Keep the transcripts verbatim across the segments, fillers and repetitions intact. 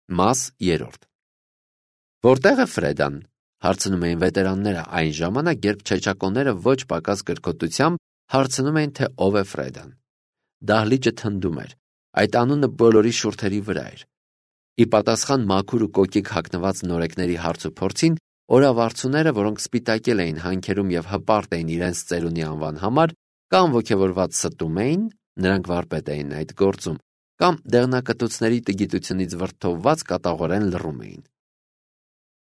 Մաս երրորդ Որտե՞ղ է Ֆրեդան, հարցնում էին վետերանները այն ժամանակ, երբ չեչակոնները ոչ պակաս կրկոտությամբ հարցնում էին, թե ով է Ֆրեդան։ Դահլիճը թնդում էր, այդ անունը բոլորի շուրթերի վրա էր։ Ի պատասխան մաքուր ու կոկիկ հագնված նորեկների հարցուփորձին, օրավարձուները, որոնք սպիտակել էին հանքերում և հպարտ էին իրենց ծերունի անվան համար, կամ ոգևորված ստում էին, նրանք վարպետ էին այդ գործում, կամ դեղնակտուցների տգիտությունից վրդովված կատաղորեն լռում էին։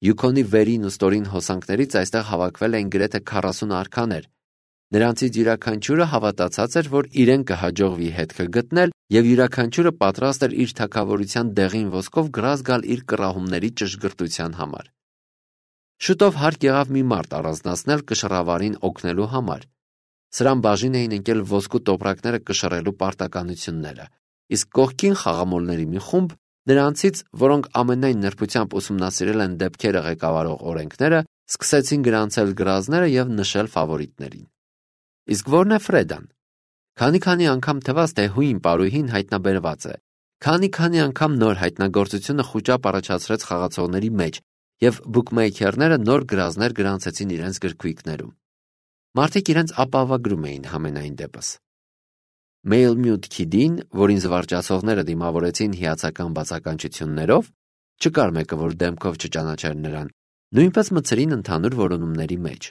Յուքոնի վերին ու ստորին հոսանքներից այստեղ հավաքվել էին գրեթե քառասուն արքաներ։ Նրանցից յուրաքանչյուրը հավատացած էր, որ իրեն կհաջողվի հետքը գտնել, և յուրաքանչյուրը պատրաստ էր իր թագավորության դեղին ոսկով գրազ գալ իր կռահումների ճշգրտության համար։ Շուտով հարկ եղավ մի մարդ առանձնացնել կշռավարին օգնելու համար։ Սրան բաժին էին ընկել ոսկու տոպրակները կշռելու պարտականությունները, իսկ կողքին խաղամոլների մի խումբ, նրանցից, որոնք ամենայն նրբությամբ ուսումնասիրել են դեպքերը ղեկավարող օրենքները, սկսեցին գրանցել գրազները և նշել ֆավորիտներին։ Իսկ ո՞րն է Ֆրեդան։ Քանի-քանի անգամ թվաց, թե հույն պարուհին հայտնաբերված է, քանի-քանի անգամ նոր հայտնագործությունը խուճապ առաջացրեց խաղացողների մեջ, և բուքմեյքերները նոր գրազներ գրանցեցին իրենց գրքույկներում։ Մարդիկ իրենց ապահովագրում էին համենայն դեպս։ Մեյլմյուտ Քիդին, որին զվարճացողները դիմավորեցին հիացական բացականչություններով, չկար մեկը, որ դեմքով չճանաչեր նրան, նույնպես մտցրին ընդհանուր որոնումների մեջ։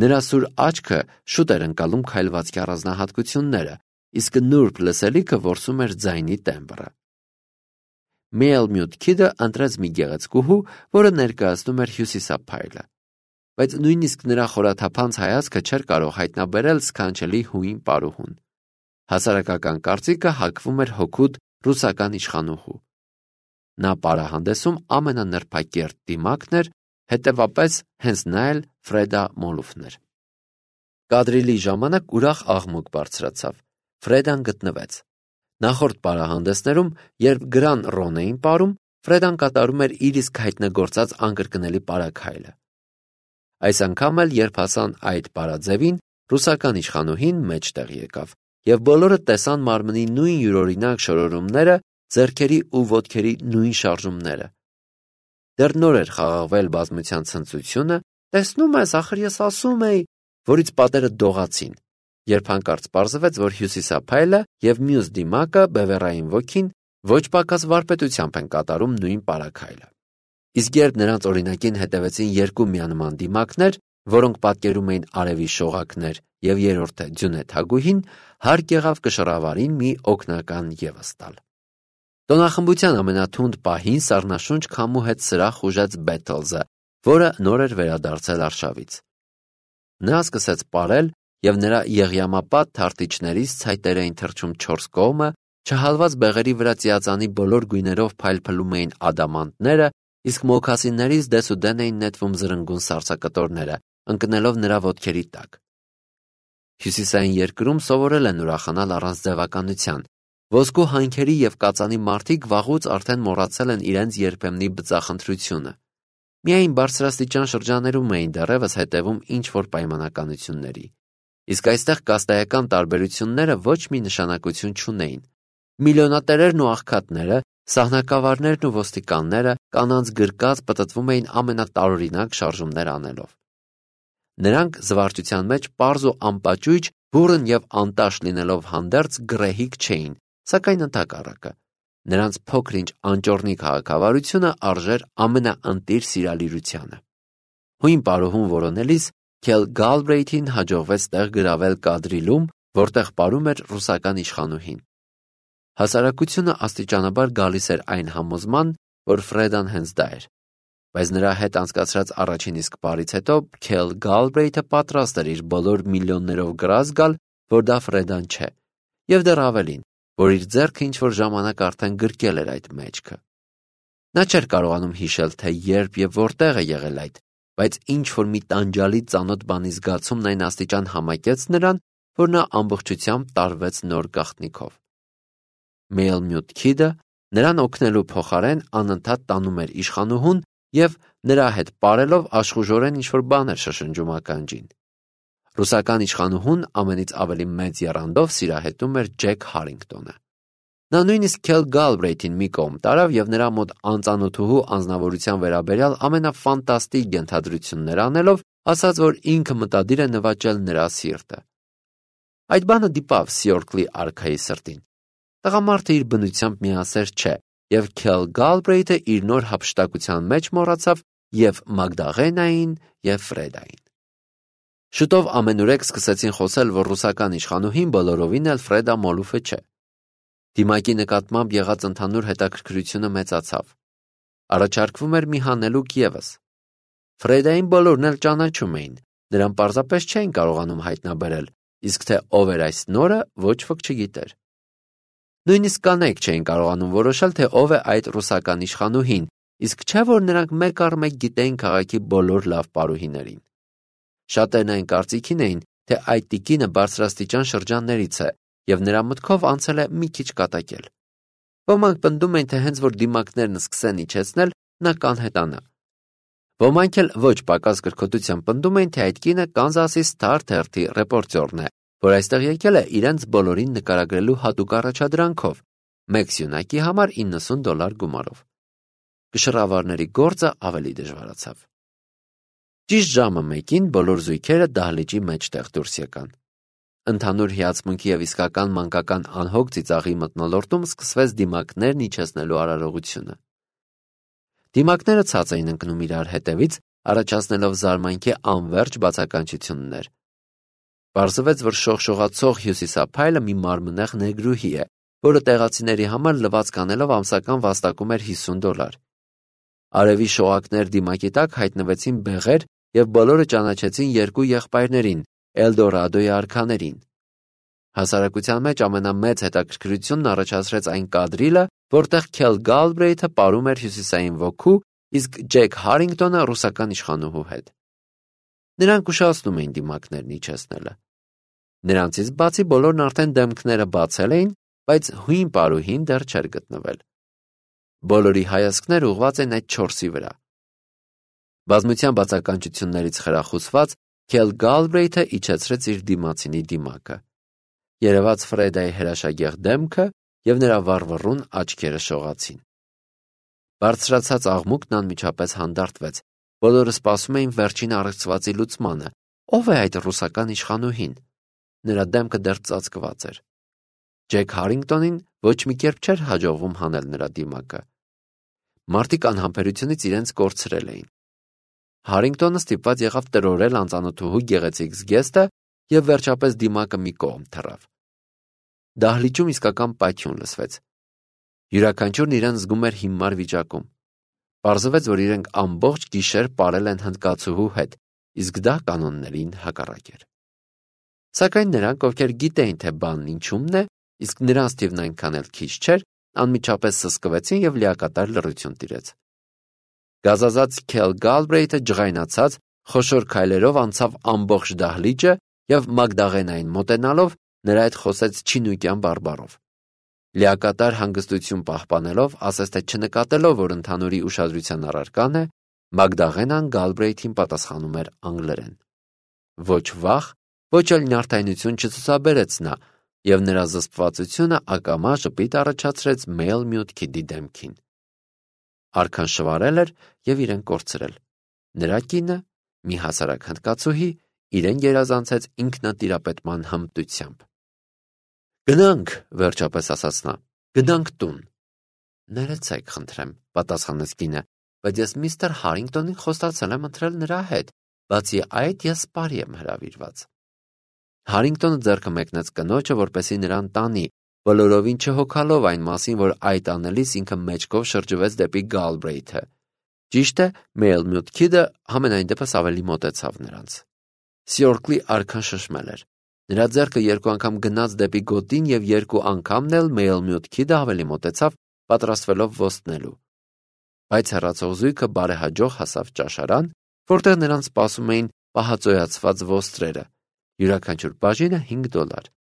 Նրա սուր աչքը շուտ էր ընկալում քայլվածքի առանձնահատկությունները, իսկ նուրբ լսելիքը որսում էր ձայնի տեմբրը։ Մեյլմյուտ Քիդը ընտրեց մի գեղեցկուհու, որը ներկայացնում էր հյուսիսափայլը, բայց նույնիսկ նրա խորաթափանց հայացքը չէր կարող հայտնաբերել սքանչելի հույն պարուհուն։ Հասարակական կարծիքը հակվում էր հօգուտ ռուսական իշխանուհու։ Նա պարահանդեսում ամենանրբակերտ դիմակն էր, հետևապես հենց նա էլ Ֆրեդա Մոլուֆն էր։ Կադրիլի ժամանակ ուրախ աղմուկ բարձրացավ։ Ֆրեդան գտնվեց։ Նախորդ պարահանդեսներում, երբ գրան ռոն էին պարում, Ֆրեդան կատարում էր իր իսկ հայտնագործած անկրկնելի պարագայլը։ Այս անգամ էլ, երբ հասան այդ պարաձևին, ռուսական իշխանուհին մեջտեղ եկավ, և բոլորը տեսան մարմնի նույն յուրօրինակ շորորումները, ձեռքերի ու ոտքերի նույն շարժումները։ Դեռ նոր էր խաղաղվել բազմության ցնծությունը, տեսնում ես, ախր ես ասում էի, որից պատերը դողացին, երբ հանկարծ պարզվեց, որ հյուսիսափայլը և մյուս դիմակը բևեռային ոգին ոչ պակաս վարպետությամբ են կատարում նույն պարագայլը։ Իսկ երբ նրանց օրինակին հետևեցին երկու միանման դիմակներ, որոնք պատկերում էին արևի շողակներ, և երրորդը ձյունե թագուհին, հարկ եղավ կշռավարին մի օգնական ևս տալ։ Տոնախմբության ամենաթունդ պահին սառնաշունչ քամու հետ սրահ խուժեց Բեթլզը, որը նոր էր վերադարձել արշավից։ Նա սկսեց պարել, և նրա եղյամապատ թարտիչներից ցայտեր էին թռչում չորս կողմը, չհալված բեղերի վրա ծիածանի բոլոր գույներով փայլփլում էին ադամանդները, իսկ մոքասիններից դեսուդեն էին նետվում զրնգուն սառցակտորները, ընկնելով նրա ոտքերի տակ։ Հյուսիսային երկրում սովորել են ուրախանալ առանց ձևականության։ Ոսկու հանքերի և կածանի մարդիկ վաղուց արդեն մոռացել են իրենց երբեմնի բծախնդրությունը։ Միայն բարձրաստիճան շրջաններում էին դեռևս հետևում ինչ-որ պայմանականությունների։ Իսկ այստեղ կաստայական տարբերությունները ոչ մի նշանակություն չունեին։ Միլիոնատերերն ու աղքատները, սահնակավարներն ու ոստիկանները կանանց գրկած պտտվում էին ամենատարօրինակ շարժումներ անելով։ Նրանք զվարճության մեջ պարզ ու անպաճույճ, բուռն և անտաշ լինելով հանդերձ գռեհիկ չէին, սակայն ընդհակառակը։ Նրանց փոքր-ինչ անճոռնի քաղաքավարությունը արժեր ամենաընտիր սիրալիրությանը։ Հույն պարուհուն որոնելիս Քել Գալբրեյթին հաջողվեց տեղ գրավել Կադրիլում, որտեղ պարում էր ռուսական իշխանուհին։ Հասարակությունը աստիճանաբար գալիս էր այն համոզման, որ Ֆրեդան հենց դա էր, բայց նրա հետ անցկացրած առաջին իսկ պարից հետո Քել Գալբրեյթը պատրաստ էր իր բոլոր միլիոններով գրազ գալ, որ դա Ֆրեդան չէ, և դեռ ավելին, որ իր ձեռքը ինչ-որ ժամանակ արդեն գրկել էր այդ մեջքը։ Նա չէր կարողանում հիշել, թե երբ և որտեղ է եղել այդ, բայց ինչ-որ մի տանջալի ծանոթ բանի զգացումն այն աստիճան համակեց նրան, որ նա ամբողջությամբ տարվեց նոր գաղտնիքով։ Մեյլմյուտ Քիդը նրան օգնելու փոխարեն անընդհատ տանում էր իշխանուհուն և նրա հետ պարելով աշխուժորեն ինչ-որ բան էր շշնջում ականջին։ Ռուսական իշխանուհուն ամենից ավելի մեծ եռանդով սիրահետում էր Ջեք Հարինգտոնը։ Նա նույնիսկ Քել Գալբրեյթին մի կողմ տարավ եւ նրա մոտ անծանոթուհու անձնավորության վերաբերյալ ամենաֆանտաստիկ ենթադրություններ անելով ասաց, որ ինքը մտադիր է նվաճել նրա սիրտը։ Այդ բանը դիպավ Սյորքլի արքայի սրտին։ Տղամարդը իր բնությամբ միասեր չէ, եւ Քել Գալբրեյթը իր նոր հափշտակության մեջ մոռացավ եւ Մագդաղենային եւ Ֆրեդային։ Շուտով ամենուրեք սկսեցին խոսել, որ ռուսական իշխանուհին բոլորովին էլ Ֆրեդա Մոլուֆը չէ։ Դիմակի նկատմամբ եղած ընդհանուր հետաքրքրությունը մեծացավ։ Առաջարկվում էր մի հանելուկ ևս։ Ֆրեդային բոլորն էլ ճանաչում էին, նրան պարզապես չէին կարողանում հայտնաբերել, իսկ թե ով էր այս նորը, ոչ ոք չգիտեր։ Նույնիսկ կանայք չէին կարողանում որոշել, թե ով է այդ ռուսական իշխանուհին, իսկ չէ որ նրանք մեկ առ մեկ գիտեին քաղաքի բոլոր լավ պարուհիներին։ Շատերն այն կարծիքին էին, թե այդ տիկինը բարձրաստիճան շրջաններից է, եւ նրա մտքով անցել է մի քիչ կատակել։ Ոմանք պնդում էին, թե հենց որ դիմակներն սկսեն իջեցնել, նա կանհետանա։ Ոմանք էլ ոչ պակաս կրկոտությամբ պնդում էին, թե այդ կինը Կանզասի Star թերթի ռեպորտյորն է, որ այստեղ եկել է իրենց բոլորին նկարագրելու հատուկ առաջադրանքով, մեկ սյունակի համար իննսուն դոլար գումարով։ Կշռավարների գործը ավելի դժվարացավ։ Ճիշտ ժամը մեկին բոլոր զույգերը դահլիճի մեջտեղ դուրս եկան։ Ընդհանուր հիացմունքի եւ իսկական մանկական անհոգ ծիծաղի մթնոլորտում սկսվեց դիմակներն իջեցնելու արարողությունը։ Դիմակները ցած էին ընկնում իրար հետևից, առաջացնելով զարմանքի անվերջ բացականչություններ։ Պարզվեց, որ շողշողացող հյուսիսափայլը մի մարմնեղ նեգրուհի է, որը տեղացիների համար լվացք անելով ամսական վաստակում էր հիսուն դոլար։ Արևի շողակներ դիմակի տակ հայտնվեցին բեղեր եւ բոլորը ճանաչեցին երկու եղբայրներին, Էլդորադոյի արքաներին։ Հասարակության մեջ ամենամեծ հետաքրքրությունն առաջացրեց այն կադրիլը, որտեղ Քել Գալբրեյթը պարում էր հյուսիսային ոգու, իսկ Ջեք Հարինգտոնը ռուսական իշխանուհու հետ։ Նրանք ուշացնում էին դիմակներն իջեցնելը։ Նրանցից բացի բոլորն արդեն դեմքները բացել էին, բայց հույն պարուհին դեռ չէր գտնվել։ Բոլորի հայացքները ուղղված են այդ չորսի վրա։ Բազմության բացականչություններից խրախուսված Քել Գալբրեյթը իջեցրեց իր դիմացինի դիմակը։ Երևաց Ֆրեդայի հրաշագեղ դեմքը եւ նրա վառվռուն աչքերը շողացին։ Բարձրացած աղմուկն անմիջապես հանդարտվեց։ Բոլորը սպասում էին վերջին առեղծվածի լուծմանը։ Ո՞վ է այդ ռուսական իշխանուհին։ Նրա դեմքը դեռ ծածկված էր։ Ջեք Հարինգտոնին ոչ մի կերպ չէր հաջողվում հանել նրա դիմակը։ Մարդիկ անհամբերությունից իրենց կորցրել էին։ Հարինգտոնը ստիպված եղավ տրորել անծանոթուհու գեղեցիկ զգեստը եւ վերջապես դիմակը մի կողմ թռավ։ Դահլիճում իսկական պայթյուն լսվեց։ Յուրաքանչյուրն իրեն զգում էր հիմար վիճակում։ Պարզվեց, որ իրենք ամբողջ գիշեր ապրել են հնդկացուհու հետ, իսկ դա կանոններին հակառակ էր։ Սակայն նրանք, ովքեր գիտեին, թե բանն ինչումն է, իսկ նրանց թիվն այնքան էլ քիչ չէր, անմիջապես սսկվեցին եւ լիակատար լռություն տիրեց։ Գազազած Քել Գալբրեյթը ջղայնացած խոշոր քայլերով անցավ ամբողջ դահլիճը եւ Մագդաղենային մոտենալով նրա հետ խոսեց չինուկյան բարբառով։ Լիակատար հանգստություն պահպանելով, ասես թե չնկատելով, որ ընդհանուրի ուշադրության առարկան է, Մագդաղենան Գալբրեյթին պատասխանում էր անգլերեն։ Ոչ վախ, ոչ էլ նյարդայնություն չցուցաբերեց նա, եւ նրա զսպվածությունը ակամա ժպիտ առաջացրեց մեյլ մյուտքի դեմքին։ Արքան շվարել էր եւ իրեն կորցրել։ Նրա կինը, մի հասարակ հնդկացուհի, իրեն գերազանցեց ինքնատիրապետման հմտությամբ։ Գնանք, վերջապես ասաց նա, գնանք տուն։ Ներեցեք, խնդրեմ, պատասխանեց կինը, բայց ես միստր Հարինգտոնին խոստացել եմ ընտրել նրա հետ, բացի այդ ես սպարի եմ հրավիրված։ Հարինգտոնը ձեռքը մեկնեց կնոջը, որպեսզի նրան տանի, բոլորովին չհոգալով այն մասին, որ այդ անելիս ինքը մեջքով շրջվեց դեպի Գալբրեյթը։ Ճիշտ է, Մեյլ Մյուտքիդը համենայն դեպս ավելի մոտեցավ նրանց։ Սյորքլի արքան շշմել էր։ Նրա ձեռքը երկու անգամ գնաց դեպի գոտին եւ երկու անգամն էլ Մեյլ Մյուտքիդը ավելի մոտեցավ, պատրաստվելով ոստնելու։ Բայց հեռացող զույգը բարեհաջող հասավ ճաշարան, որտեղ նրանց սպասում էին պահածոյացված ոստրերը։ Յուրաքանչյուր բաժինը հինգ դոլար։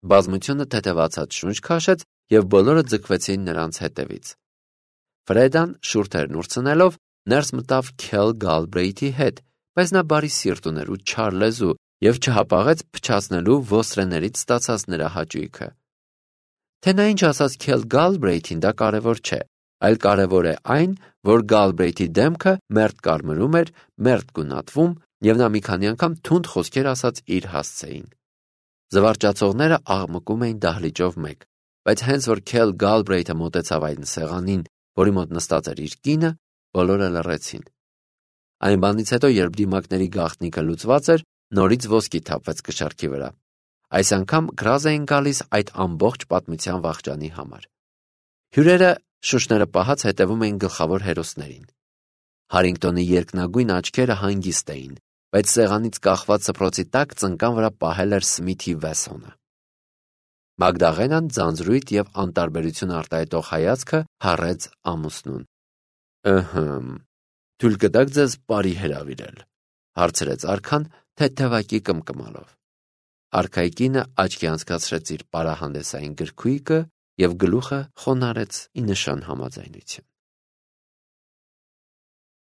Բազմությունը թեթևացած շունչ քաշեց եւ բոլորը ձգվեցին նրանց հետևից։ Ֆրեդան շուրթերն ուրցնելով ներս մտավ Քել Գալբրեյթի հետ, բայց նա բարի սիրտ ուներ ու չար լեզու եւ չհապաղեց փչացնելու ոստրեներից ստացած նրա հաճույքը։ Թե նա ինչ ասաց Քել Գալբրեյթին, դա կարևոր չէ, այլ կարևոր է այն, որ Գալբրեյթի դեմքը մերթ կարմրում էր, մերթ գունատվում, եւ նա մի քանի անգամ թունդ խոսքեր ասաց իր հասցեին։ Զվարճացողները աղմկում էին դահլիճով մեկ, բայց հենց որ Քել Գալբրեյթը մոտեցավ այն սեղանին, որի մոտ նստած էր իր կինը, բոլորը լռեցին։ Այն բանից հետո, երբ դիմակների գաղտնիքը լուծված էր, նորից ոսկի թափվեց կշեռքի վրա։ Այս անգամ գրազ էին գալիս այդ ամբողջ պատմության վախճանի համար։ Հյուրերը շուշները պահած հետևում էին գլխավոր հերոսներին։ Հարինգտոնի երկնագույն աչքերը հանգիստ էին, բայց սեղանից կախված սփռոցի տակ ծնկան վրա պահել էր Սմիթի Վեսոնը։ Մագդաղենան ձանձրույթ եւ անտարբերություն արտահայտող հայացքը հառեց ամուսնուն։ «Ըհը, թույլ կտաք ձեզ բարի հրավիրել», հարցրեց արքան թեթևակի կմկմալով։ Արքայի կինը աչքի անցկացրեց իր պարահանդեսային գրքույկը եւ գլուխը խոնարհեց ի նշան համաձայնության։